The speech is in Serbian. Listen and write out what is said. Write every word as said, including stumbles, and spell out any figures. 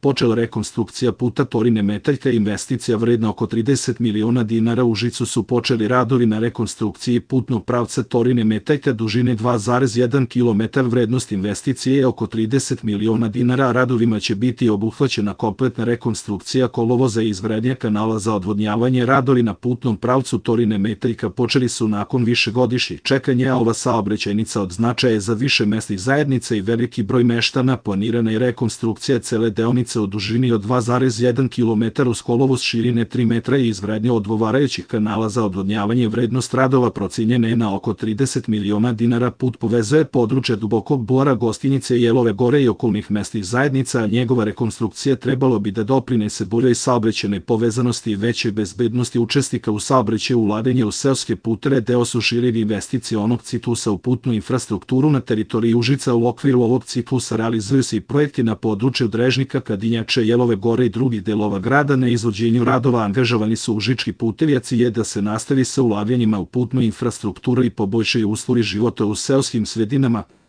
počela rekonstrukcija puta Torine-Metaljka. Investicija vredna oko trideset miliona dinara. U Užicu su počeli radovi na rekonstrukciji putnog pravca Torine-Metaljka dužine dva zarez jedan kilometar. Vrednost investicije je oko trideset miliona dinara, a radovima će biti obuhvaćena kompletna rekonstrukcija kolovoza i izgradnja kanala za odvodnjavanje. Radovi na putnom pravcu Torine-Metaljka počeli su nakon višegodišnjih čekanja, a ova saobraćajnica od značaja je za više mesnih zajednica i veliki broj meštana. Planirana je rekonstrukcija cele deonice u dužini od dva zarez jedan kilometar uz kolovoz širine tri metra i izgradnja odgovarajućih kanala za odvodnjavanje. Vrednost radova procenjena je na oko trideset miliona dinara. Put povezuje područje Dubokog Bora, Gostinjice, Jelove Gore i okolnih mesnih zajednica, a njegova rekonstrukcija trebalo bi da doprinese boljoj saobraćajnoj povezanosti i većoj bezbednosti učesnika u saobraćaju. Ulaganje u seoske puteve deo su šireg investicionog ciklusa u putnu infrastrukturu na teritoriji Užica. U okviru ovog ciklusa realizuju se i projekti na području Drežnika, Kadinjače, Jelove Gore i drugih delova grada. Na izvođenju radova angažovani su užički putevi, a cilj je da se nastavi sa ulaganjima u putnu infrastrukturu i poboljšaju uslovi života u seoskim sredinama.